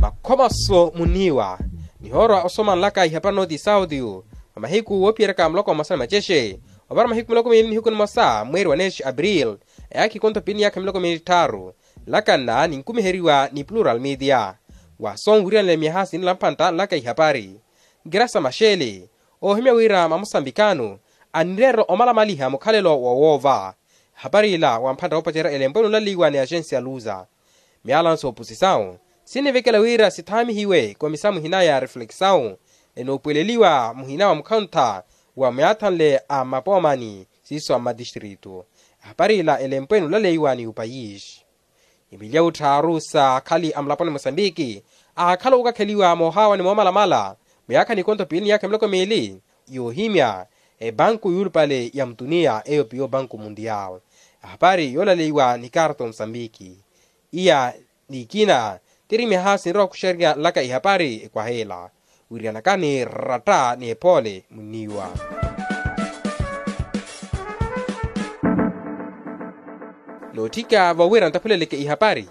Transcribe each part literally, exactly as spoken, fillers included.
Makhomaso muniiwa nihoorwa osoma nlaka ihapari nooti sauti. Mamahiku woophiyeraka muloko mmosa ni macexe opara mahiku miloko miili nihiku nimosa mweeri wa neexi april, eyaakha ikonto piili ni yaakha miloko miili tthaaru. Nlaka nna ninkumiheriwa ni plural media. Wa sonwiriyanela miyaha sinila mpantta nlaka ihapari. Nkirasa maxeele oohimya wira mamosambikano anireerela omalamaliha mukhalelo wa woova. Ehapari ila wa mphantta woopacerya elempwe nulaleiwa ni axensi ya luza. Miyalano sooposisawu sinivekela wira sithaamihiwe komisa muhina ya reflexawu enoopweleliwa muhina wa mukhontha wa myaathanle a mmapoomani siiso a mmatistrito. Ehapari ila elempwe nulaleiwa ni upayisi. Imiliya wutthaaru sa akhali a mulaponi mosambiki aakhala ookakheliwa moohaawa ni moomalamala muyaakha ni ikonto piili ni yaakha miloko miili yoohimya epanku yuulupale ya mutuniya eyo piyo panku mundiyaal. Ehapari yoolaleiwa ni karto mosambiki. Iya nikina tiri miyaha sinrowa okuxerya nlaka ihapari ekwaha ela. Wiriyanakani ratta ni epoole muniiwa. Nootthika vowira ntaphuleleke ihapari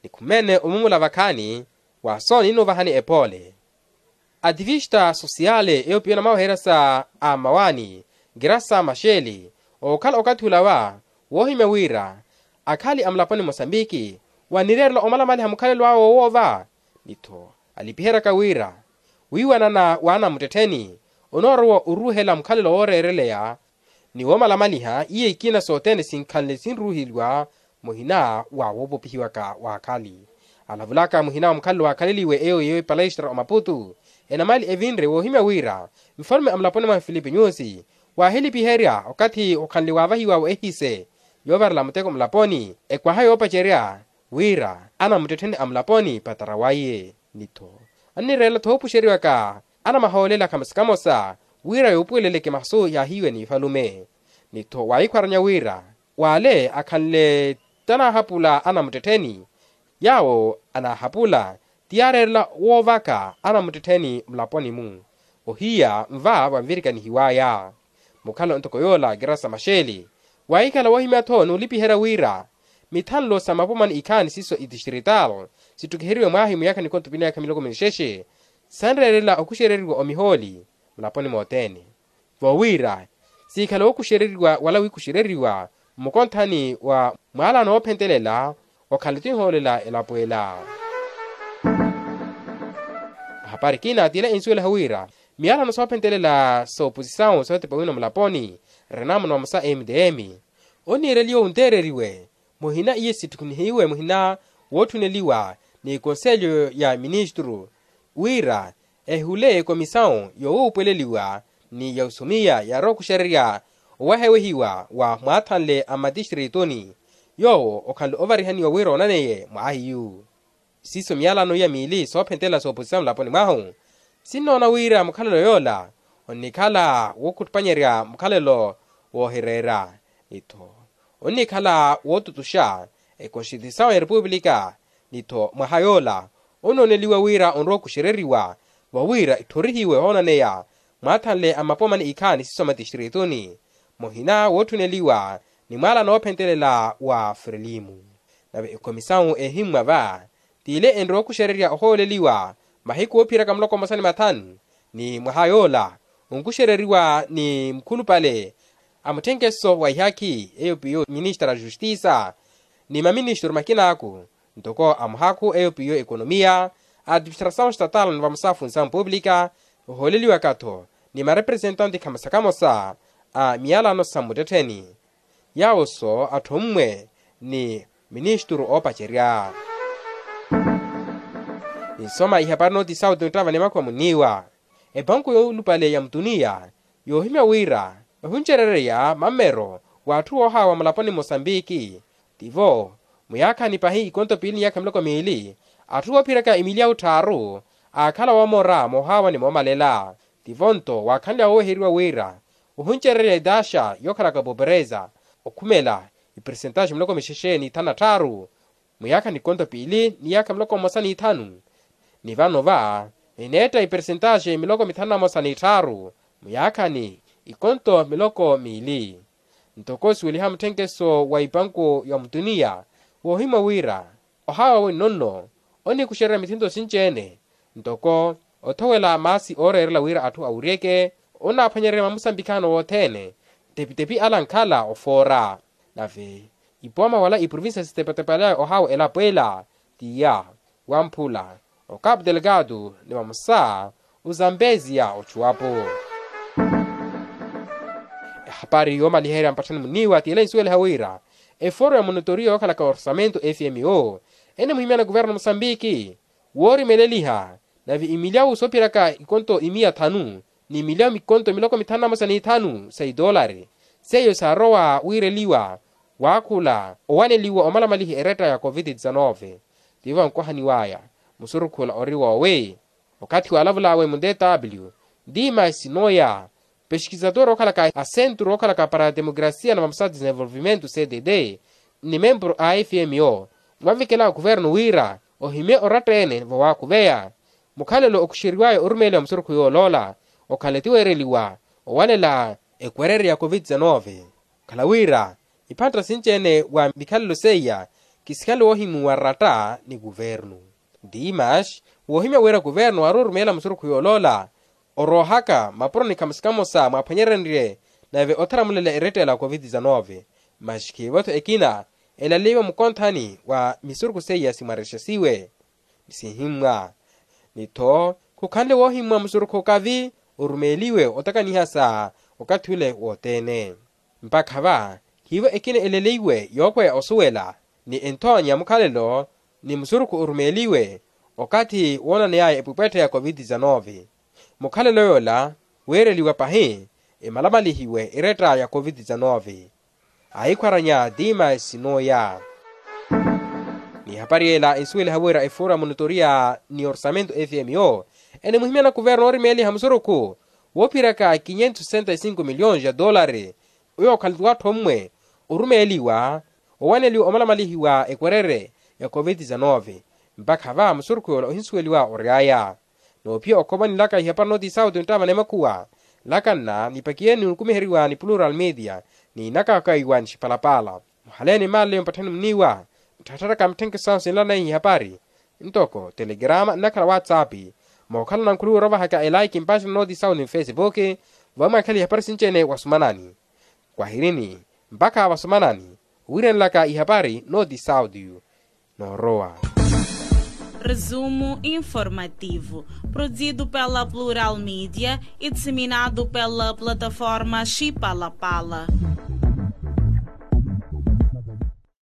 nikhumeene omumula vakhaani wa sooninuvahani epoole. Ativista sosiyale eyo piyo namaweherya sa a mmawaani nkirasa maxeele ookhala okathi olawa woohimya wira akhali a mulaponi mosambiki wanireerela omalamaliha mukhalelo awe wowoova. Ni-tho alipiheryaka wira wiiwanana w'anamuttettheni onoorowa oruuhela mukhalelo wooreereleya ni woomalamaliha iya ikina sothene sinkhanle sinruuheliwa muhina wa woopopihiwaka w'akhali. Alavulaka muhina wa mukhalelo waakhaleliwe eyo yeeyo epalestra omaputu enamali evinre woohimya wira nfalume a mulaponi mwahu filipe nyusi waahilipiherya okathi okhanle waavahiwawe ehise yoovarela muteko mulaponi ekwaha yoopacerya wira anamuttettheni a mulaponi patara waiye. Ni-tho annireela thoopuxeriwaka anamahoolela kamosa kamosa wira yoopuweleleke masu yaahiiwe ni ifalume. Ni-tho waahikhwaranya wira w'ale akhanle tanaahapula anamuttettheni yaawo anaahapula ti yaareerela woovaka anamuttettheni mulaponi-mu. Ohiya nva vanvirikanihiwaya mukhala ntoko yoola kirasa maxeele waahikhala woohimya-tho n'ulipiherya wira mithanlo sa mapomani ikhaani siiso itistrital sittukiheriwe mwaahi muyaakha ni konto piili ni yaakha miloko minixexe sanreerela okuxereriwa omihooli mulaponi mothene. Vowira siikhala wookuxereriwa wala wiikuxereriwa mmukonthani wa mwaalano woophentelela okhala tinhoolela elapo ela. Ahapari kina tila ensuwelaha wira miyalano soophentelela sooposisawu sootepa wino mulaponi renamuna vamosa mdm oniireliwa onteereriwe muhina iye sitthukunihiwe muhina wootthuneliwa ni konselho ya ministru wira ehule komisawu yowuupweleliwa ni ya osumiya yaarowa okuxererya owahewehiwa wa mwaathanle a mmatistrituni yoowo okhanle ovarihaniwa wira onaneye mwaahiyu. Siiso miyalano iya miili soophentelela sooposisa mulaponi mwahu sinnoona wira mukhalelo yoola onnikhala wookhutupanyerya mukhalelo woohireera ni-tho onnikhala wootutuxa ekonstituisawu ya repupulika ni-tho mwaha yoola onooneliwa wira onrowa okuxereriwa vawira itthorihiwe ohoonaneya mwaathanle a mapomani ikhaani siiso a matistrituni muhina wootthuneliwa ni mwaala noophentelela wa frelimu. Nave ekhomisawu ehimmwa va t'ile enrowa okuxererya ohooleliwa mahiku oophiyeraka muloko mmosa ni mathanu ni mwaha yoola onkuxereriwa ni mukhulupale a mutthenkeso wa ihaakhi eyo piyo ministra a justisa ni maministru makinaaku ntoko a muhaakhu eyo piyo ekonomiya a administrasawu estatal ni vamosa a funsawu pupulika ohooleliwaka-tho ni marepresentante khamosa khamosa a miyalano sa mmuttettheni yaawo-so atthu ommwe ni ministru oopacerya. Ninsoma ihapari nooti sauti nttava ni makhuwa muniiwa epanku yoolupale ya mutuniya yoohimya wira vahuncerereya mammero w'atthu woohaawa mulaponi mosambiki tivo muyaakhani pahi ikonto piili ni yaakha miloko miili atthu oophiyeryaka imiliya wutthaaru aakhala woomora moohaawa ni moomalela tivo-nto waakhanle woweheriwa wira ohuncerereya etaxa yookhalaka popereza okhumela ipersentaxi miloko mixexe ni ithanu na tthaaru muyaakha ni ikonto piili ni yaakha miloko mmosa ni ithanu ni vano va eneetta ipersentaxi miloko mithanu na mmosa ni tthaaru muyaakha ni ikonto miloko miili. Ntoko suweliha mutthenkeso wa ipanku ya mutuniya woohimwa wira Ohawa wenno nno onikuxererya mithento sinci-ene ntoko othowela maasi ooreerela wira atthu awuryeke. Onaaphwanyererya mamusambikano wothene ntepitepi ala ankhala ofoora. Nave ipooma wala iprovincia sitepatepalaya ohawa elapo ela tiya wamphula okapu delgado ni vamosa ozambeziya ochuwapo. Ehapari yoomaliherya mpatthani muniiwa tiyela insuweliha wira efooro ya monotoriya yookhalaka orsamento fmo enimuhimyana kuverno musambiki woorimeleliha nave imilyawu soophiraka ikonto imiya thanu ni imilyawu mikonto miloko mithanu na mosa ni ithanu sa itoolari seiyo saarowa wiireliwa waakhula owaneliwa omalamalihi eretta ya covid dix-nove. Tivo ankohaniwaya musurukhu ola ori woowi okathi waalavulaawe mu dw dimas nooya pexkizatoro ookhalaka a sentru ookhalaka para a demokrasia na vamosa desenvolvimento cdd ni membro a fmo mwavikela kuverno wira ohimye oratta-ene vowakhuveya mukhalelo okuxeriwaya orumeeliwa musurukhu yooloola okhala etiweereliwa owalela ekwererya ya covid dix-nove. Okhala wira iphantta sinci-ene wa mikhalelo seiya kisikhale woohimuwa ratta ni kuvernu dimas woohimya wira kuvernu aari orumeela musurukhu yooloola oroohaka mapuro ni khamosa khamosa mwaaphwanyerenrye nave otharamulela erettela covid dix-nove. Masi khiivo-tho ekina elaleiwe mukonthani wa misurukhu seiya simwarexesiwe ni sihimmwa ni-tho khukhanle woohimmwa musurukhu okavi orumeeliwe otakaniha sa okathi ule wothene. Mpakha va khiivo ekina eleleiwe yookweya osuwela ni enthoonya mukhalelo ni musurukhu orumeeliwe okathi woonaneyaya epwepwettha ya covid dix-nove. Mukhalelo yoola weereliwa pahi emalamalihiwe eretta ya covid dix-nove. Ahikhwaranya dimas nooya ni ehapari ela ensuweliha wira efooro ya monotoriya ni orsamento fmo enimuhimyana kuverno oorimeeliha musurukhu woophiraka quinhentos sessenta e cinco milhões ya dollari oyo okhala tiwattho ommwe orumeeliwa owaneliwa omalamalihiwa ekwerere ya covid dix-nove. Mpakha va musurukhu yoola ohinsuweliwa ory'aya noophiya okhoma nilaka ihapari nooti sauti nttaamana emakhuwa nlakanna nipakiyeni nukumiheriwa ni plural media ni nakakaiwa ni xipalapala muhaleeni mmaaleyo mpatthani muniiwa ntthattharaka mitthenkhe sahu sinlaneihi ihapari ntoko telegrama nnakhala whatsapp mookhalana nkhuliwa orovahaka elaiki mpaxana nooti sauti ni facebook vamwaakhela ihapari sinci-ene wasumanani kwahirini mpakha vasumanani wiirenlaka ihapari nooti sauti noorowa. Resumo informativo, produzido pela Plural Mídia e disseminado pela plataforma Xipalapala.